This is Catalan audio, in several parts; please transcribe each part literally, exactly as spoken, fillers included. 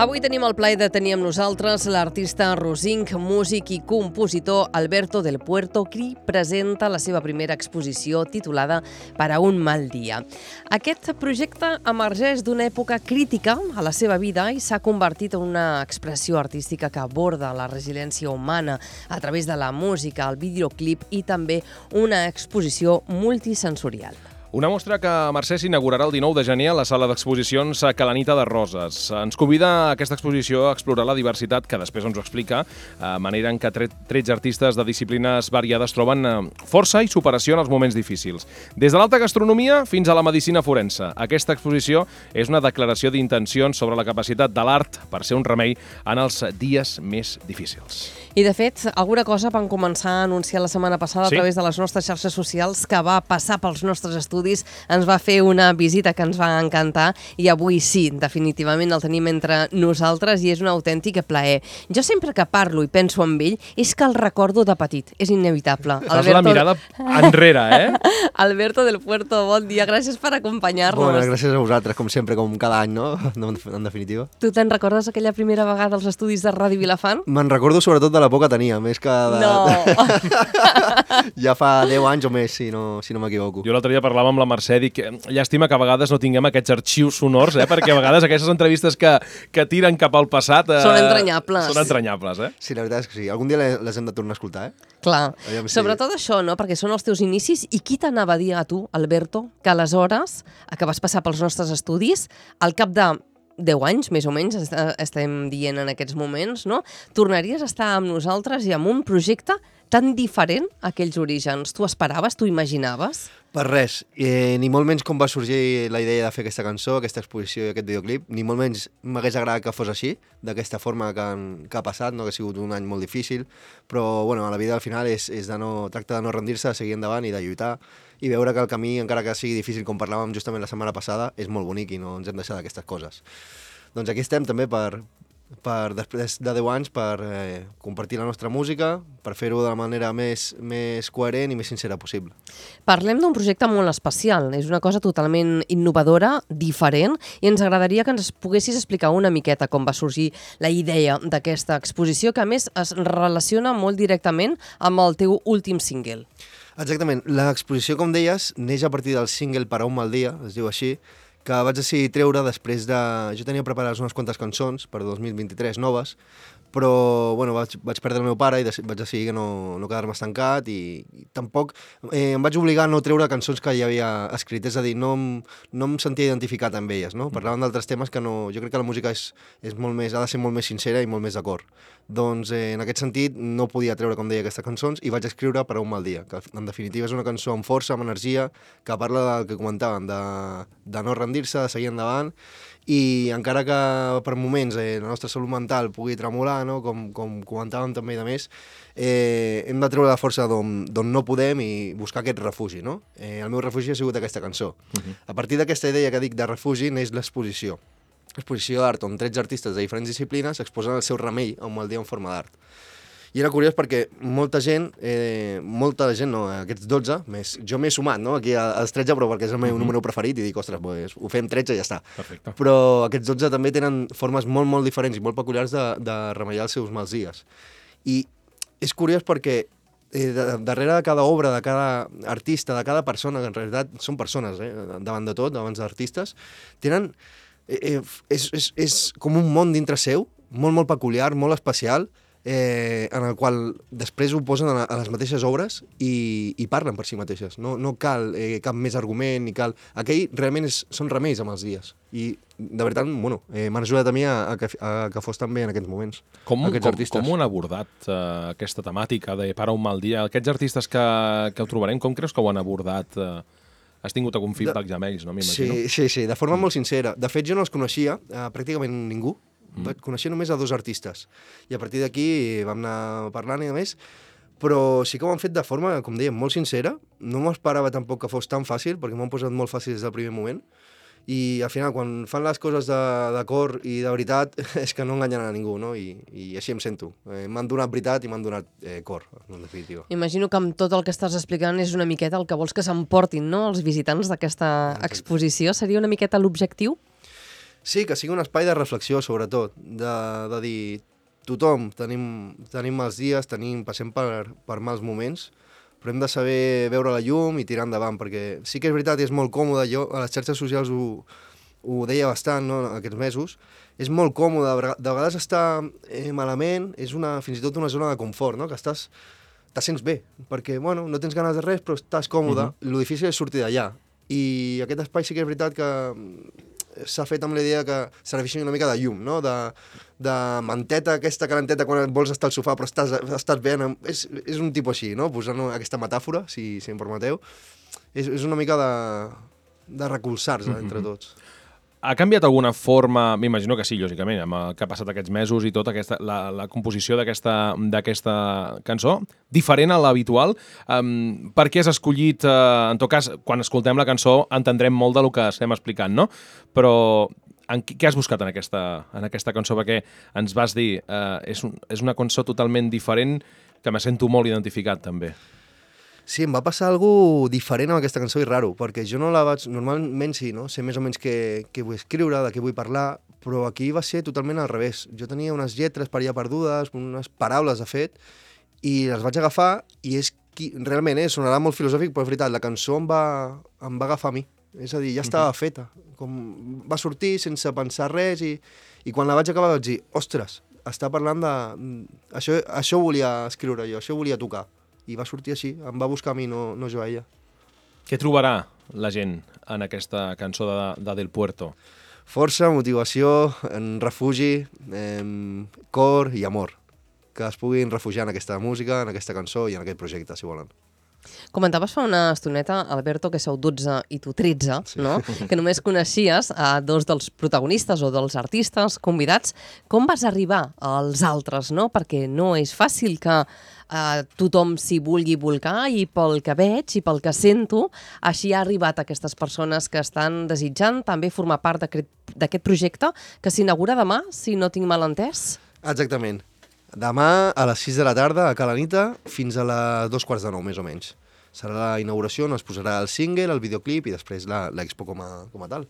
Avui tenim el plaer de tenir amb nosaltres l'artista rosinc, músic i compositor Alberto del Puerto, qui presenta la seva primera exposició titulada Para un mal dia. Aquest projecte emergeix d'una època crítica a la seva vida i s'ha convertit en una expressió artística que aborda la resiliència humana a través de la música, el videoclip i també una exposició multisensorial. Una mostra que Mercè s'inaugurarà el dinou de gener a la sala d'exposicions Calanita de Roses. Ens convida a aquesta exposició a explorar la diversitat, que després ens ho explica, a manera en què tretze artistes de disciplines variades troben força i superació en els moments difícils. Des de l'alta gastronomia fins a la medicina forense. Aquesta exposició és una declaració d'intencions sobre la capacitat de l'art per ser un remei en els dies més difícils. I, de fet, alguna cosa van començar a anunciar la setmana passada sí? a través de les nostres xarxes socials, que va passar pels nostres estudis, ens va fer una visita que ens va encantar i avui sí, definitivament el tenim entre nosaltres i és un autèntic plaer. Jo sempre que parlo i penso en ell és que el recordo de petit, és inevitable. Fas Alberto... la mirada enrere, eh? Alberto del Puerto, bon dia, gràcies per acompanyar-nos. Bona, gràcies a vosaltres, com sempre, com cada any, no? En definitiva. Tu te'n recordes aquella primera vegada als estudis de Ràdio Vilafant? Me'n recordo sobretot de la por que tenia, més que de... No! Ja fa deu anys o més, si no, si no m'equivoco. Jo l'altre dia parlava amb la Mercè, dic, llàstima que a vegades no tinguem aquests arxius sonors, eh? Perquè a vegades aquestes entrevistes que, que tiren cap al passat... Eh, són entranyables. Són entranyables, eh? Sí, la veritat és que sí. Algun dia les hem de tornar a escoltar, eh? Clar. Aviam si... Sobretot això, no? Perquè són els teus inicis. I qui t'anava a dir a tu, Alberto, que aleshores, que vas passar pels nostres estudis, al cap de deu anys, més o menys, estem dient en aquests moments, no? Tornaries a estar amb nosaltres i amb un projecte tan diferent a aquells orígens. Tu esperaves, tu imaginaves? Per res, eh, ni molt menys com va sorgir la idea de fer aquesta cançó, aquesta exposició i aquest videoclip, ni molt menys m'hagués agradat que fos així, d'aquesta forma que, han, que ha passat, no? Que ha sigut un any molt difícil, però bueno, a la vida al final és, és de no, tracta de no rendir-se, de seguir endavant i de lluitar, i veure que el camí, encara que sigui difícil, com parlàvem justament la setmana passada, és molt bonic i no ens hem deixat d'aquestes coses. Doncs aquí estem també per... per després de deu anys per eh, compartir la nostra música, per fer-ho de la manera més, més coherent i més sincera possible. Parlem d'un projecte molt especial, és una cosa totalment innovadora, diferent, i ens agradaria que ens poguessis explicar una miqueta com va sorgir la idea d'aquesta exposició, que a més es relaciona molt directament amb el teu últim single. Exactament, l'exposició, com deies, neix a partir del single Para un mal dia, es diu així, que vaig decidir treure després de... Jo tenia preparades unes quantes cançons per dos mil vint-i-tres noves, però bueno, vaig, vaig perdre el meu pare i vaig decidir que no, no quedar-me estancat i, i tampoc eh, em vaig obligar a no treure cançons que ja havia escrit, és a dir, no em, no em sentia identificat amb elles, no? Parlaven d'altres temes que no... Jo crec que la música és, és molt més, ha de ser molt més sincera i molt més d'acord. Doncs eh, en aquest sentit no podia treure, com deia, aquestes cançons i vaig escriure Per un mal dia, que en definitiva és una cançó amb força, amb energia, que parla del que comentaven, de, de no rendir-se, de seguir endavant, i encara que per moments eh, la nostra salut mental pugui tremolar, no? com, com comentàvem també i de més, eh, hem de treure la força d'on no podem i buscar aquest refugi. No? Eh, el meu refugi ha sigut aquesta cançó. Uh-huh. A partir d'aquesta idea que dic de refugi neix l'exposició. L'exposició d'art on tretze artistes de diferents disciplines exposen el seu remei a un mal dia en forma d'art. I era curiós perquè molta gent, eh, molta gent, no, aquests dotze, més, jo m'he sumat, no, aquí als tretze, però perquè és el meu uh-huh. número preferit, i dic, ostres, pues, ho fem tretze i ja està. Perfecte. Però aquests dotze també tenen formes molt, molt diferents i molt peculiars de, de remeiar els seus mals dies. I és curiós perquè eh, de, darrere de cada obra, de cada artista, de cada persona, que en realitat són persones, eh, davant de tot, davant d'artistes, tenen... Eh, és, és, és com un món dintre seu, molt, molt peculiar, molt especial, Eh, en el qual després ho posen a, a les mateixes obres i, i parlen per si mateixes. No, no cal eh, cap més argument, ni cal... Aquell realment és, són remeis amb els dies. I, de veritat, bueno, eh, m'han ajudat a mi a, a, que, a que fos tan bé en aquests moments, com, aquests com, artistes. Com ho han abordat, uh, aquesta temàtica de Para un mal dia? Aquests artistes que, que ho trobarem, com creus que ho han abordat? Uh, has tingut algun feedback ja amb ells, no? M'imagino. Sí, sí, sí, de forma mm. molt sincera. De fet, jo no els coneixia, uh, pràcticament ningú. Mm. Vaig conèixer només a dos artistes i a partir d'aquí vam anar parlant i a més, però sí que ho han fet de forma, com dèiem, molt sincera. No m'esperava tampoc que fos tan fàcil, perquè m'ho han posat molt fàcil des del primer moment, i al final, quan fan les coses de, de cor i de veritat, és que no enganyen a ningú, no? I, i així em sento. Eh, m'han donat veritat i m'han donat eh, cor, en definitiva. Imagino que amb tot el que estàs explicant és una miqueta el que vols que s'emportin, no?, els visitants d'aquesta exposició. Seria una miqueta l'objectiu? Sí, que sigui un espai de reflexió, sobretot, de, de dir, tothom tenim, tenim mals dies, tenim, passem per, per mals moments, però hem de saber veure la llum i tirar endavant, perquè sí que és veritat, és molt còmode, jo a les xarxes socials ho, ho deia bastant, no?, aquests mesos, és molt còmode, de vegades estar eh, malament és una, fins i tot una zona de confort, no?, que estàs, te sents bé, perquè, bueno, no tens ganes de res, però estàs còmode, uh-huh. Lo difícil és sortir d'allà, i aquest espai sí que és veritat que s'ha fet amb la idea que serveixi una mica de llum, no?, de, de manteta, aquesta calenteta quan vols estar al sofà però estàs, estàs bé, és, és un tipus així, no?, posant aquesta metàfora, si, si em permeteu, és, és una mica de, de recolzar-se uh-huh. entre tots. Ha canviat alguna forma, m'imagino que sí, lògicament, amb el que ha passat aquests mesos i tot, aquesta, la, la composició d'aquesta cançó, diferent a l'habitual? Um, per què has escollit, uh, en tot cas, quan escoltem la cançó entendrem molt del que estem explicant, no? Però en, què has buscat en aquesta, en aquesta cançó? Perquè ens vas dir, uh, és, un, és una cançó totalment diferent que me sento molt identificat, també. Sí, em va passar alguna diferent amb aquesta cançó i raro, perquè jo no la vaig... Normalment sí, no? Sé més o menys què, què vull escriure, de què vull parlar, però aquí va ser totalment al revés. Jo tenia unes lletres per allà perdudes, unes paraules, de fet, i les vaig agafar i és qui... Realment, eh, sonarà molt filosòfic, però és veritat, la cançó em va, em va agafar a mi. És a dir, ja estava uh-huh. feta. Com va sortir sense pensar res i, i quan la vaig acabar vaig dir, ostres, està parlant de... Això, això volia escriure jo, això volia tocar. I va sortir així, em va buscar a mi, no, no jo a ella. Què trobarà la gent en aquesta cançó de, de Del Puerto? Força, motivació, en refugi, eh, cor i amor. Que es puguin refugiar en aquesta música, en aquesta cançó i en aquest projecte, si volen. Comentaves fa una estoneta, Alberto, que sou dotze i tu tretze, sí. no? Que només coneixies a dos dels protagonistes o dels artistes convidats. Com vas arribar als altres, no? Perquè no és fàcil que eh, tothom s'hi vulgui volcar i pel que veig i pel que sento, així ha arribat aquestes persones que estan desitjant també formar part d'aquest projecte que s'inaugura demà, si no tinc mal entès. Exactament. Demà a les sis de la tarda a Cala Nita fins a les dos quarts de nou, més o menys. Serà la inauguració on es posarà el single, el videoclip i després l'expo com, a, com a tal.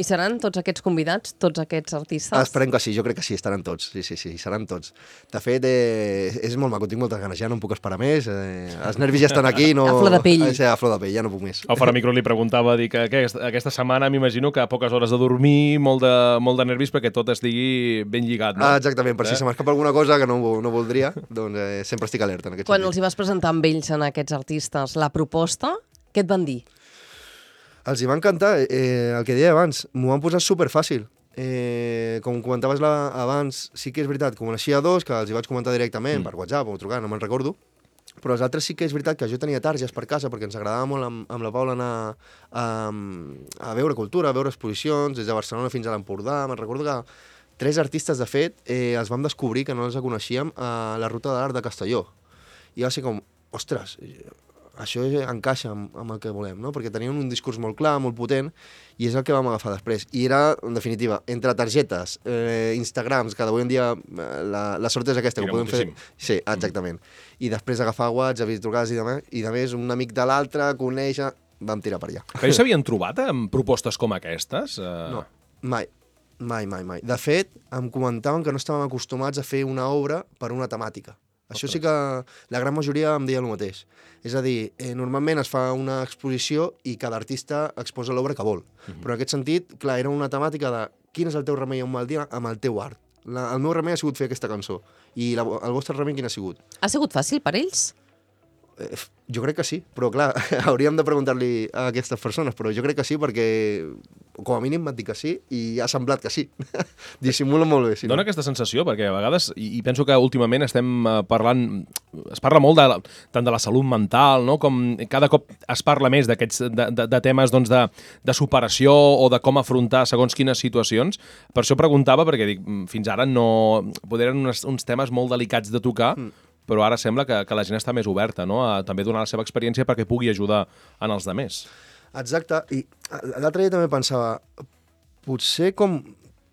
I seran tots aquests convidats, tots aquests artistes? Esperem que sí, jo crec que sí, estaran tots. Sí, sí, sí, seran tots. De fet, eh, és molt maco, tinc moltes ganes, ja no em puc esperar més. Eh, els nervis ja estan aquí. No... A flor de pell. Sí, a flor de pell, ja no puc més. El Fora Micro li preguntava, dir que aquesta, aquesta setmana m'imagino que a poques hores de dormir, molt de, molt de nervis perquè tot estigui ben lligat, no? Ah, exactament, per eh? si se m'escapa alguna cosa que no, no voldria, doncs eh, sempre estic alerta en aquest Quan sentit. els hi vas presentar amb ells, en aquests artistes, la proposta, què et van dir? Els hi va encantar, eh, el que deia abans, m'ho van posar superfàcil. Eh, com comentaves la, abans, sí que és veritat, com coneixia dos, que els hi vaig comentar directament mm. per WhatsApp o trucar, no me'n recordo, però els altres sí que és veritat que jo tenia targes per casa perquè ens agradava molt amb, amb la Paula anar a, a veure cultura, a veure exposicions, des de Barcelona fins a l'Empordà. Me'n recordo que tres artistes, de fet, eh, els vam descobrir, que no els coneixíem, a la Ruta de l'Art de Castelló. I va ser com, ostres, això encaixa amb, amb el que volem, no? Perquè tenien un discurs molt clar, molt potent, i és el que vam agafar després. I era, en definitiva, entre targetes, eh, Instagrams, que d'avui en dia la, la sort és aquesta, que podem moltíssim. fer... Sí, exactament. I després agafar WhatsApp i trucades i demà, i de més, un amic de l'altre, conèixer, vam tirar per allà. Però s'havien trobat amb propostes com aquestes? Uh... No, mai. Mai, mai, mai. De fet, em comentaven que no estàvem acostumats a fer una obra per una temàtica. Això sí que la gran majoria em deia el mateix. És a dir, eh, normalment es fa una exposició i cada artista exposa l'obra que vol. Uh-huh. Però en aquest sentit, clar, era una temàtica de quin és el teu remei a un mal dia amb el teu art. La, el meu remei ha sigut fer aquesta cançó. I la, el vostre remei quin ha sigut? Ha sigut fàcil per ells? Eh, jo crec que sí, però clar, hauríem de preguntar-li a aquestes persones, però jo crec que sí perquè com a mínim m'han dit que sí i ha semblat que sí. Dissimula molt bé. Si Dóna no. aquesta sensació perquè a vegades, i, i penso que últimament estem parlant, es parla molt de, tant de la salut mental, no? Com cada cop es parla més d'aquests de, de, de temes doncs, de, de superació o de com afrontar segons quines situacions. Per això preguntava, perquè dic, fins ara no... Podrien uns, uns temes molt delicats de tocar, mm. però ara sembla que, que la gent està més oberta, no? A també donar la seva experiència perquè pugui ajudar en els demés. Exacte, i l'altre dia també pensava, potser com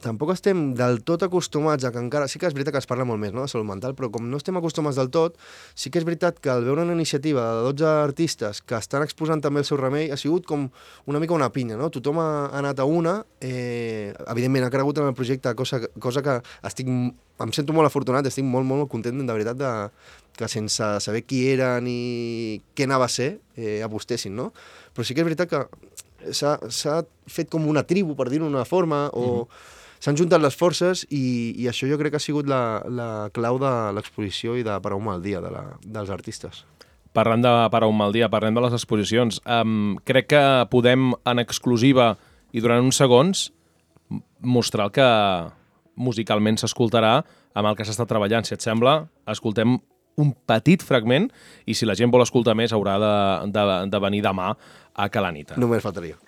tampoc estem del tot acostumats a que encara... Sí que és veritat que es parla molt més, no?, de salut mental, però com no estem acostumats del tot, sí que és veritat que al veure una iniciativa de dotze artistes que estan exposant també el seu remei, ha sigut com una mica una pinya, no? Tothom ha anat a una, eh, evidentment ha cregut en el projecte, cosa, cosa que estic, em sento molt afortunat, estic molt, molt content, de veritat, de, que sense saber qui eren i què anava a ser, eh, apostessin, no? Però sí que és veritat que s'ha fet com una tribu, per dir-ho d'una forma, o... Mm-hmm. S'han juntat les forces i, i això jo crec que ha sigut la, la clau de l'exposició i de Per a un mal dia de la, dels artistes. Parlant de Per a un mal dia, parlem de les exposicions. Um, crec que podem, en exclusiva i durant uns segons, mostrar el que musicalment s'escoltarà amb el que s'està treballant. Si et sembla, escoltem un petit fragment i si la gent vol escoltar més haurà de, de, de venir demà a Calanita. Només faltaria.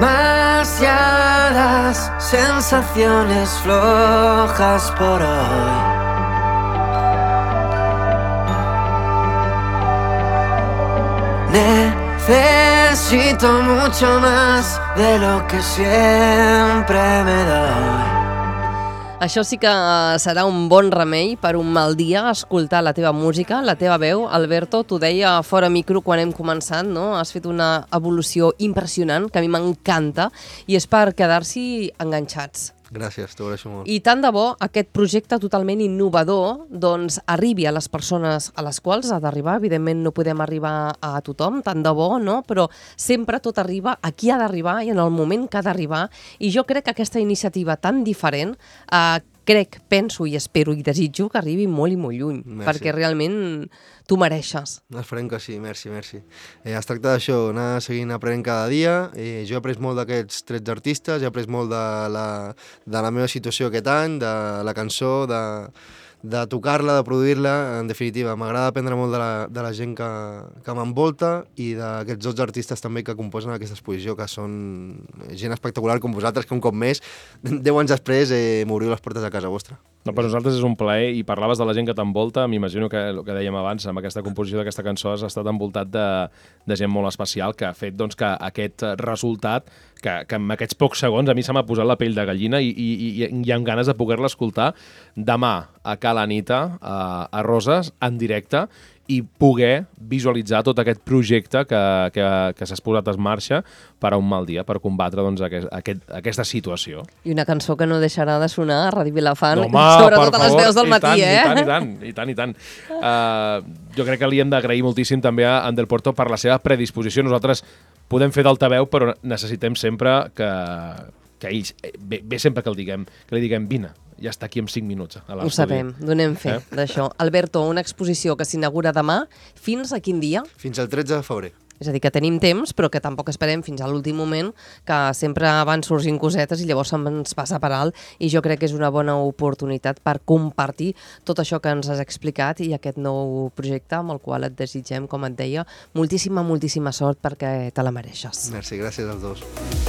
Demasiadas sensaciones flojas por hoy. Necesito mucho más de lo que siempre me doy. Això sí que serà un bon remei per un mal dia, escoltar la teva música, la teva veu. Alberto, t'ho deia fora micro quan hem començat, no? Has fet una evolució impressionant, que a mi m'encanta, i és per quedar-s'hi enganxats. Gràcies, t'ho agraeixo molt. I tant de bo aquest projecte totalment innovador doncs arribi a les persones a les quals ha d'arribar. Evidentment no podem arribar a tothom, tant de bo, no? Però sempre tot arriba a qui ha d'arribar i en el moment que ha d'arribar. I jo crec que aquesta iniciativa tan diferent, eh, crec, penso i espero i desitjo que arribi molt i molt lluny. Merci. Perquè realment tu mereixes. Esperem que sí, merci, merci. Eh, es tracta d'això, anar seguint aprenent cada dia. Eh, jo he après molt d'aquests tretze artistes, he après molt de la, de la meva situació aquest any, de la cançó, de, de tocar-la, de produir-la. En definitiva, m'agrada aprendre molt de la, de la gent que, que m'envolta i d'aquests dotze artistes també que composen aquesta exposició, que són gent espectacular com vosaltres, que un cop més, deu anys després, eh, m'obriu les portes a casa vostra. No, per nosaltres és un plaer, i parlaves de la gent que t'envolta. M'imagino que el que dèiem abans, amb aquesta composició d'aquesta cançó has estat envoltat de, de gent molt especial que ha fet doncs, que aquest resultat, que, que en aquests pocs segons a mi se m'ha posat la pell de gallina i, i, i, i amb ganes de poder-la escoltar demà a Calanita, a, a Roses, en directe, i poder visualitzar tot aquest projecte que, que, que s'ha posat en marxa per a un mal dia, per combatre doncs, aquest, aquest, aquesta situació. I una cançó que no deixarà de sonar a Ràdio Vilafant, no, home, sobretot a les veus del matí, tant, eh? I tant, i tant, i tant, i tant. Uh, jo crec que li hem d'agrair moltíssim també a Ander Puerto per la seva predisposició. Nosaltres podem fer d'altaveu, però necessitem sempre que, que ells, bé, bé sempre que, el diguem, que li diguem vine, ja està aquí en cinc minuts a l'estudi. Ho sabem, donem fe eh? d'això. Alberto, una exposició que s'inaugura demà, fins a quin dia? Fins al tretze de febrer. És a dir, que tenim temps, però que tampoc esperem fins a l'últim moment, que sempre van sorgint cosetes i llavors se'ns passa per alt, i jo crec que és una bona oportunitat per compartir tot això que ens has explicat i aquest nou projecte amb el qual et desitgem, com et deia, moltíssima, moltíssima sort perquè te la mereixes. Merci, gràcies als dos.